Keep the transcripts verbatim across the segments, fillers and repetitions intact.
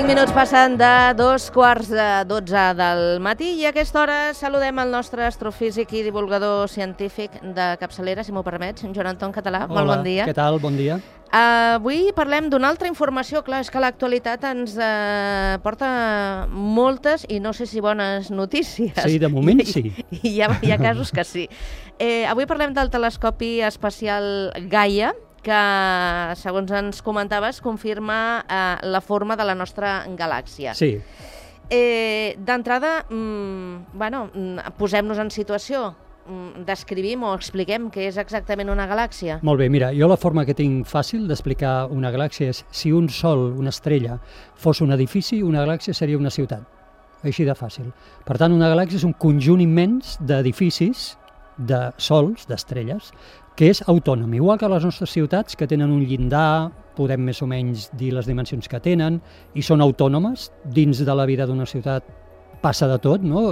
cinc minuts passen de dos quarts de dotze del matí i a aquesta hora saludem el nostre astrofísic i divulgador científic de capçalera, si m'ho permets, Joan Anton Català. Hola, molt bon dia. Què tal? Bon dia. Uh, avui parlem d'una altra informació. Clar, és que l'actualitat ens uh, porta moltes i no sé si bones notícies. Sí, de moment sí. I, i hi, ha, hi ha casos que sí. Eh, avui parlem del telescopi espacial Gaia, que, segons ens comentaves, confirma eh, la forma de la nostra galàxia. Sí. Eh, D'entrada, mm, bueno, posem-nos en situació, mm, descrivim o expliquem què és exactament una galàxia. Molt bé, mira, jo la forma que tinc fàcil d'explicar una galàxia és si un sol, una estrella, fos un edifici, una galàxia seria una ciutat. Així de fàcil. Per tant, una galàxia és un conjunt immens d'edificis, de sols, d'estrelles, que és autònom, igual que les nostres ciutats, que tenen un llindar, podem més o menys dir les dimensions que tenen, i són autònomes. Dins de la vida d'una ciutat passa de tot, no?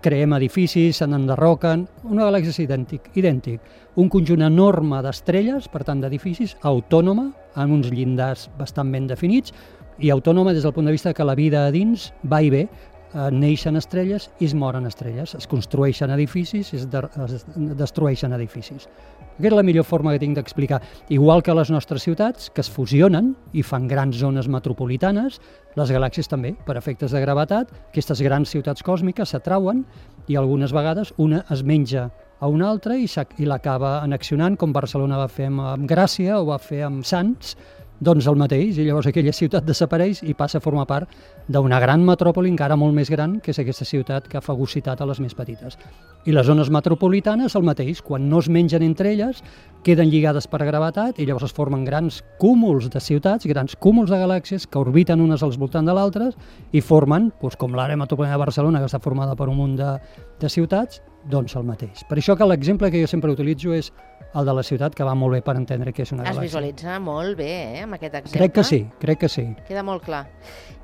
Creem edificis, se n'enderroquen. Una galàxia és idèntic, idèntic. Un conjunt enorme d'estrelles, per tant d'edificis, autònoma, amb uns llindars bastant ben definits, i autònoma des del punt de vista que la vida a dins va i ve. Neixen estrelles i es moren estrelles, es construeixen edificis i es, de, es destrueixen edificis. Aquesta és la millor forma que tinc d'explicar. Igual que les nostres ciutats, que es fusionen i fan grans zones metropolitanes, les galàxies també, per efectes de gravetat, aquestes grans ciutats còsmiques s'atrauen i algunes vegades una es menja a una altra i, i l'acaba annexionant, com Barcelona va fer amb Gràcia o va fer amb Sants, doncs el mateix, i llavors aquella ciutat desapareix i passa a formar part d'una gran metròpoli encara molt més gran, que és aquesta ciutat que ha fagocitat a les més petites. I les zones metropolitanes el mateix, quan no es mengen entre elles, queden lligades per gravetat i llavors es formen grans cúmuls de ciutats, grans cúmuls de galàxies que orbiten unes al voltant de l'altre i formen, doncs, com l'àrea metropolitana de Barcelona, que està formada per un munt de, de ciutats, doncs el mateix. Per això que l'exemple que jo sempre utilitzo és el de la ciutat, que va molt bé per entendre què és una galàxia. Es visualitza molt bé, eh, amb aquest exemple. Crec que sí, crec que sí. Queda molt clar.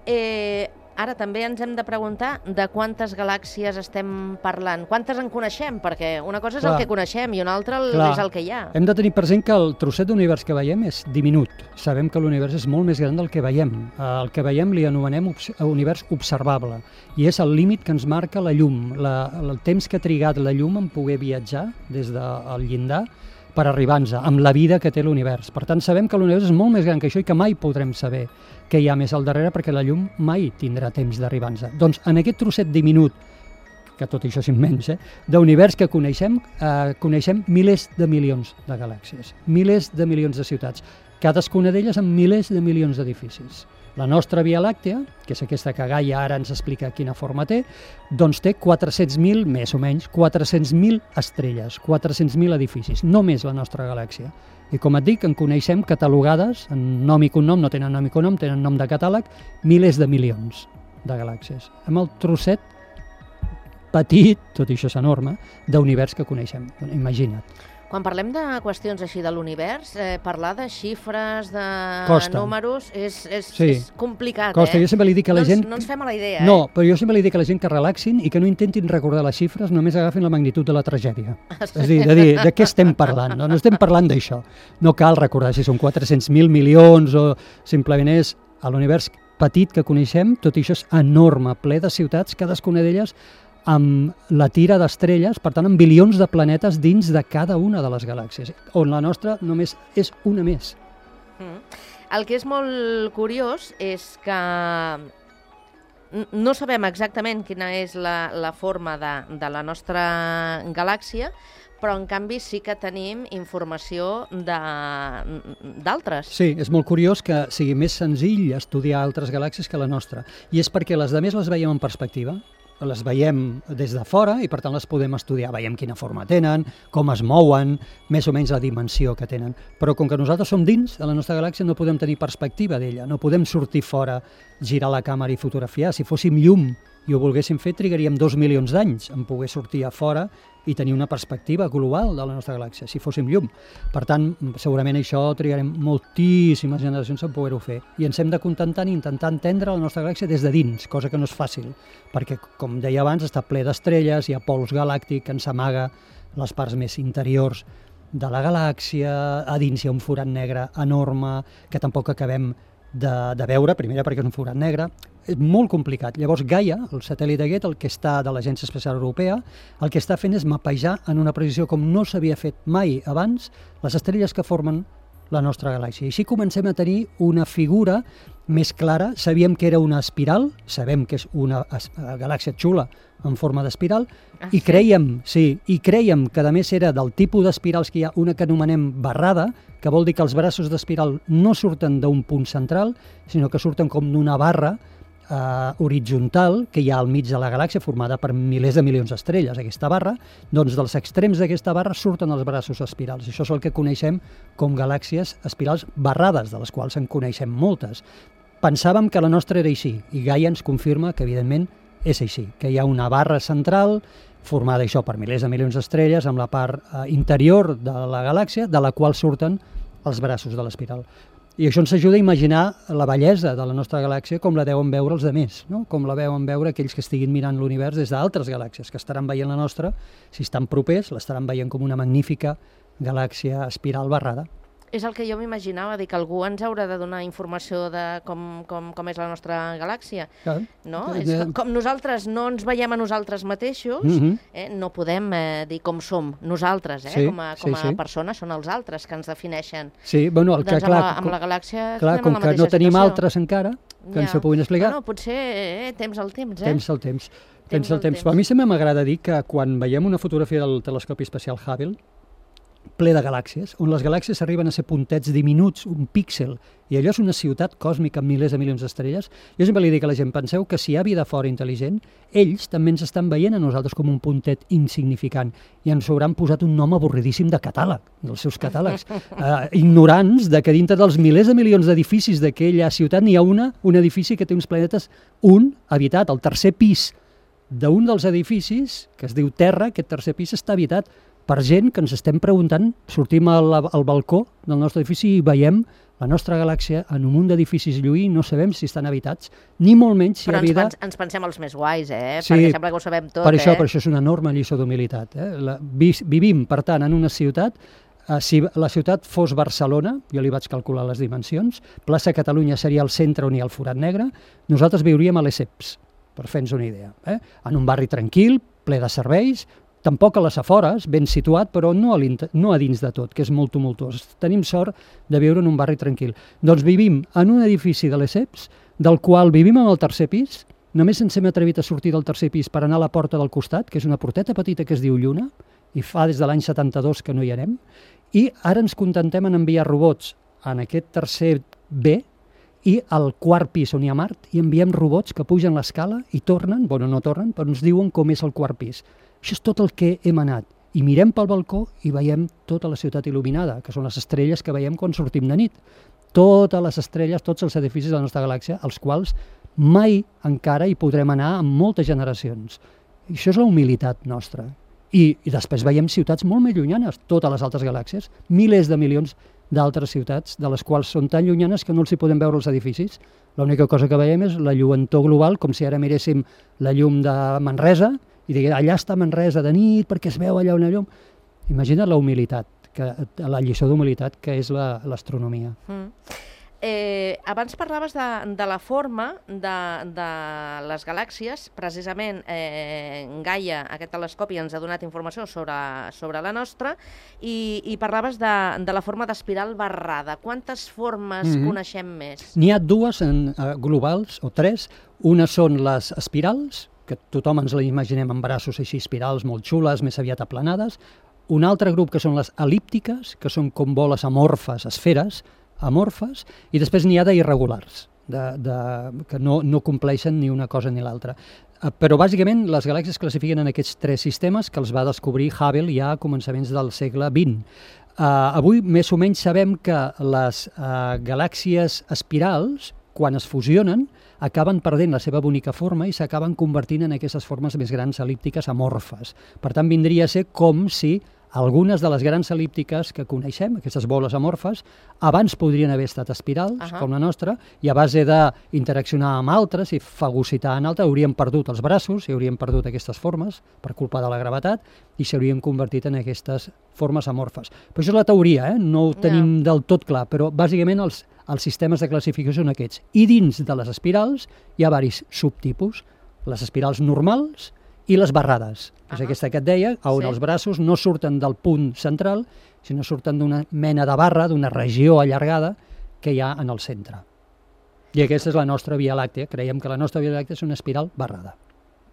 Eh, ara també ens hem de preguntar de quantes galàxies estem parlant. Quantes en coneixem? Perquè una cosa és clar, el que coneixem i una altra clar, és el que hi ha. Hem de tenir present que el trosset d'univers que veiem és diminut. Sabem que l'univers és molt més gran del que veiem. El que veiem li anomenem univers observable i és el límit que ens marca la llum, la, el temps que ha trigat la llum en poder viatjar des del llindar per arribar-nos amb la vida que té l'univers. Per tant, sabem que l'univers és molt més gran que això i que mai podrem saber què hi ha més al darrere perquè la llum mai tindrà temps d'arribar-nos. Doncs en aquest trosset diminut, que tot això és immens, eh, d'univers que coneixem, eh, coneixem milers de milions de galàxies, milers de milions de ciutats, cadascuna d'elles amb milers de milions d'edificis. La nostra Via Làctea, que és aquesta que Gaia ara ens explica quina forma té, doncs té quatre-cents mil, més o menys, quatre-cents mil estrelles, quatre-cents mil edificis, només la nostra galàxia. I com et dic, en coneixem catalogades, en nom i cognom, no tenen nom i cognom, tenen nom de catàleg, milers de milions de galàxies. Amb el trosset petit, tot i això és enorme, d'univers que coneixem. Imagina't. Quan parlem de qüestions així de l'univers, eh, parlar de xifres, de Costa. números, és, és, sí. és complicat, Costa. eh? Jo sempre li dic a la no gent... Ens, no ens fem a la idea, no, eh? però jo sempre li dic a la gent que relaxin i que no intentin recordar les xifres, només agafin la magnitud de la tragèdia. És a dir, de dir, de què estem parlant? No, no estem parlant d'això. No cal recordar si són quatre-cents mil milions o simplement és a l'univers petit que coneixem, tot això és enorme, ple de ciutats, cadascuna d'elles amb la tira d'estrelles, per tant, amb bilions de planetes dins de cada una de les galàxies, on la nostra només és una més. Mm. El que és molt curiós és que no sabem exactament quina és la, la forma de, de la nostra galàxia, però en canvi sí que tenim informació d'altres. Sí, és molt curiós que sigui més senzill estudiar altres galàxies que la nostra, i és perquè les altres les veiem en perspectiva, les veiem des de fora i per tant les podem estudiar, veiem quina forma tenen, com es mouen, més o menys la dimensió que tenen. Però com que nosaltres som dins de la nostra galàxia no podem tenir perspectiva d'ella, no podem sortir fora, girar la càmera i fotografiar. Si fóssim llum i ho volguéssim fer, trigaríem dos milions d'anys en poder sortir a fora i tenir una perspectiva global de la nostra galàxia, si fóssim llum. Per tant, segurament això trigarem moltíssimes generacions en poder-ho fer. I ens hem de contentar i intentar entendre la nostra galàxia des de dins, cosa que no és fàcil, perquè, com deia abans, està ple d'estrelles, hi ha pols galàctic que ens amaga les parts més interiors de la galàxia, a dins hi ha un forat negre enorme que tampoc acabem de, de veure, primera perquè és un forat negre, és molt complicat. Llavors Gaia, el satèl·lit aquest, el que està de l'Agència Espacial Europea, el que està fent és mapejar en una precisió com no s'havia fet mai abans les estrelles que formen la nostra galàxia. I així comencem a tenir una figura més clara. Sabíem que era una espiral, sabem que és una galàxia xula en forma d'espiral, ah, i creiem, sí, i creiem que a més era del tipus d'espirals que hi ha una que anomenem barrada, que vol dir que els braços d'espiral no surten d'un punt central, sinó que surten com d'una barra Uh, horitzontal que hi ha al mig de la galàxia, formada per milers de milions d'estrelles, aquesta barra. Doncs dels extrems d'aquesta barra surten els braços espirals. Això és el que coneixem com galàxies espirals barrades, de les quals en coneixem moltes. Pensàvem que la nostra era així, i Gaia ens confirma que, evidentment, és així, que hi ha una barra central formada això per milers de milions d'estrelles amb la part uh, interior de la galàxia, de la qual surten els braços de l'espiral. I això ens ajuda a imaginar la bellesa de la nostra galàxia com la deuen veure els altres, no? Com la veuen veure aquells que estiguin mirant l'univers des d'altres galàxies, que estaran veient la nostra, si estan propers, l'estaran veient com una magnífica galàxia espiral barrada. És el que jo m'imaginava, dir que algú ens haurà de donar informació de com, com, com és la nostra galàxia. Clar. No? Eh, és com, com nosaltres no ens veiem a nosaltres mateixos, uh-huh. eh, no podem eh, dir com som nosaltres, eh, sí, com a, com a sí, sí. persones, són els altres que ens defineixen. Sí, bueno, el que, doncs clar, amb, la, amb la galàxia clar, com que no tenim situació. altres encara, que ja. ens ho puguin explicar. Bueno, potser eh, temps al temps, eh? Temps al temps. Temps, temps al temps. temps. A mi sempre m'agrada dir que quan veiem una fotografia del telescopi espacial Hubble, ple de galàxies, on les galàxies arriben a ser puntets diminuts, un píxel, i allò és una ciutat còsmica amb milers de milions d'estrelles. Jo sempre li dic a la gent, penseu que si hi ha vida fora intel·ligent, ells també ens estan veient a nosaltres com un puntet insignificant, i ens hauran posat un nom avorridíssim de catàleg, dels seus catàlegs, uh, ignorants de que dintre dels milers de milions d'edificis d'aquella ciutat n'hi ha una, un edifici que té uns planetes, un habitat, el tercer pis d'un dels edificis, que es diu Terra, aquest tercer pis està habitat per gent que ens estem preguntant, sortim al, al balcó del nostre edifici i veiem la nostra galàxia en un munt d'edificis lluï, no sabem si estan habitats, ni molt menys si Però hi ha vida... Però ens, ens pensem els més guais, eh? Sí, perquè sembla que ho sabem tot, per això, eh? Per això és una enorme lliçó d'humilitat. Eh? La, vi, vivim, per tant, en una ciutat, eh, si la ciutat fos Barcelona, jo li vaig calcular les dimensions, plaça Catalunya seria el centre on hi ha el forat negre, nosaltres viuríem a Lesseps, per fer-nos una idea. Eh? En un barri tranquil, ple de serveis, tampoc a les afores, ben situat, però no a, no a dins de tot, que és molt tumultuós. Tenim sort de viure en un barri tranquil. Doncs vivim en un edifici de Lesseps, del qual vivim en el tercer pis, només ens hem atrevit a sortir del tercer pis per anar a la porta del costat, que és una porteta petita que es diu Lluna, i fa des de l'any setanta-dos que no hi anem, i ara ens contentem en enviar robots en aquest tercer B, i al quart pis on hi ha Mart, i enviem robots que pugen l'escala i tornen, bueno, no tornen, però ens diuen com és el quart pis. Això és tot el que hem anat. I mirem pel balcó i veiem tota la ciutat il·luminada, que són les estrelles que veiem quan sortim de nit. Totes les estrelles, tots els edificis de la nostra galàxia, als quals mai encara hi podrem anar en moltes generacions. I això és la humilitat nostra. I, i després veiem ciutats molt més llunyanes, totes les altres galàxies, milers de milions d'altres ciutats, de les quals són tan llunyanes que no els hi podem veure els edificis. L'única cosa que veiem és la lluentor global, com si ara miréssim la llum de Manresa, i diguem, allà està Manresa de nit perquè es veu allà una llum. Imagina't la humilitat, que, la lliçó d'humilitat que és l'astronomia. Mm. Eh, abans parlaves de, de la forma de, de les galàxies, precisament eh, Gaia, aquest telescopi, ens ha donat informació sobre, sobre la nostra, i, i parlaves de, de la forma d'espiral barrada. Quantes formes mm-hmm. coneixem més? N'hi ha dues en, uh, globals, o tres. Una són les espirals, que tothom ens la imaginem amb braços així espirals molt xules, més aviat aplanades. Un altre grup que són les el·líptiques, que són com boles amorfes, esferes amorfes, i després n'hi ha d'irregulars, de, de, que no, no compleixen ni una cosa ni l'altra. Uh, però bàsicament les galàxies es classifiquen en aquests tres sistemes que els va descobrir Hubble ja a començaments del segle vint. Uh, avui més o menys sabem que les uh, galàxies espirals, quan es fusionen, acaben perdent la seva bonica forma i s'acaben convertint en aquestes formes més grans el·líptiques amorfes. Per tant, vindria a ser com si Algunes de les grans el·líptiques que coneixem, aquestes boles amorfes, abans podrien haver estat espirals, uh-huh. com la nostra, i a base d'interaccionar amb altres i fagocitar en altres, haurien perdut els braços i haurien perdut aquestes formes per culpa de la gravetat i s'haurien convertit en aquestes formes amorfes. Però això és la teoria, eh? No ho tenim yeah. del tot clar, però bàsicament els, els sistemes de classificació són aquests. I dins de les espirals hi ha diversos subtipus, les espirals normals i les barrades. Uh-huh. És aquesta que et deia, on sí. els braços no surten del punt central, sinó surten d'una mena de barra, d'una regió allargada que hi ha en el centre. I aquesta és la nostra Via Làctea. Creiem que la nostra Via Làctea és una espiral barrada.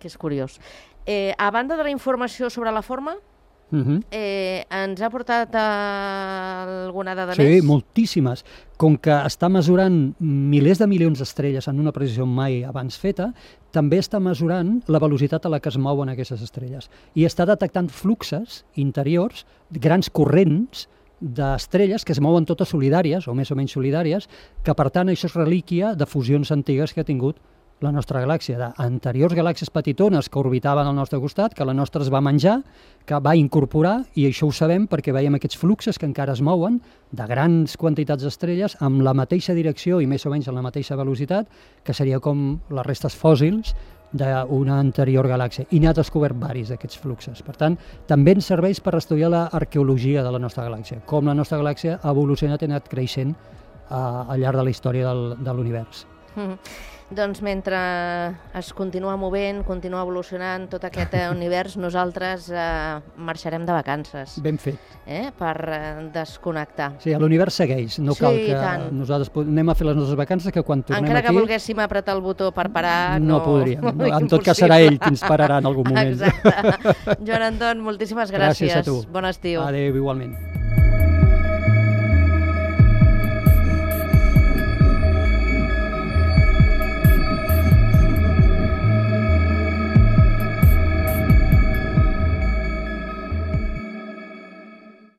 Que és curiós. Eh, a banda de la informació sobre la forma, Uh-huh. Eh, ens ha portat uh, alguna dada sí, més? Sí, moltíssimes. Com que està mesurant milers de milions d'estrelles en una precisió mai abans feta, també està mesurant la velocitat a la que es mouen aquestes estrelles. I està detectant fluxes interiors, grans corrents d'estrelles que es mouen totes solidàries, o més o menys solidàries, que per tant això és relíquia de fusions antigues que ha tingut la nostra galàxia, d'anteriors galàxies petitones que orbitaven al nostre costat, que la nostra es va menjar, que va incorporar, i això ho sabem perquè veiem aquests fluxes que encara es mouen de grans quantitats d'estrelles amb la mateixa direcció i més o menys amb la mateixa velocitat, que seria com les restes fòssils d'una anterior galàxia. I n'ha descobert varis d'aquests fluxes. Per tant, també ens serveix per estudiar l'arqueologia de la nostra galàxia, com la nostra galàxia ha evolucionat i ha anat creixent uh, al llarg de la història del, de l'univers. Mm-hmm. Doncs mentre es continua movent, continua evolucionant tot aquest univers, nosaltres eh, marxarem de vacances. Ben fet. Eh? Per eh, desconnectar. Sí, l'univers segueix. No sí, cal que tant. nosaltres anem a fer les nostres vacances, que quan tornem Encara aquí... Encara que volguéssim apretar el botó per parar... No, no podríem. No, en tot cas serà ell qui ens pararà en algun moment. Exacte. Joan Anton, moltíssimes gràcies. Gràcies a tu. Bon estiu. Adéu, igualment.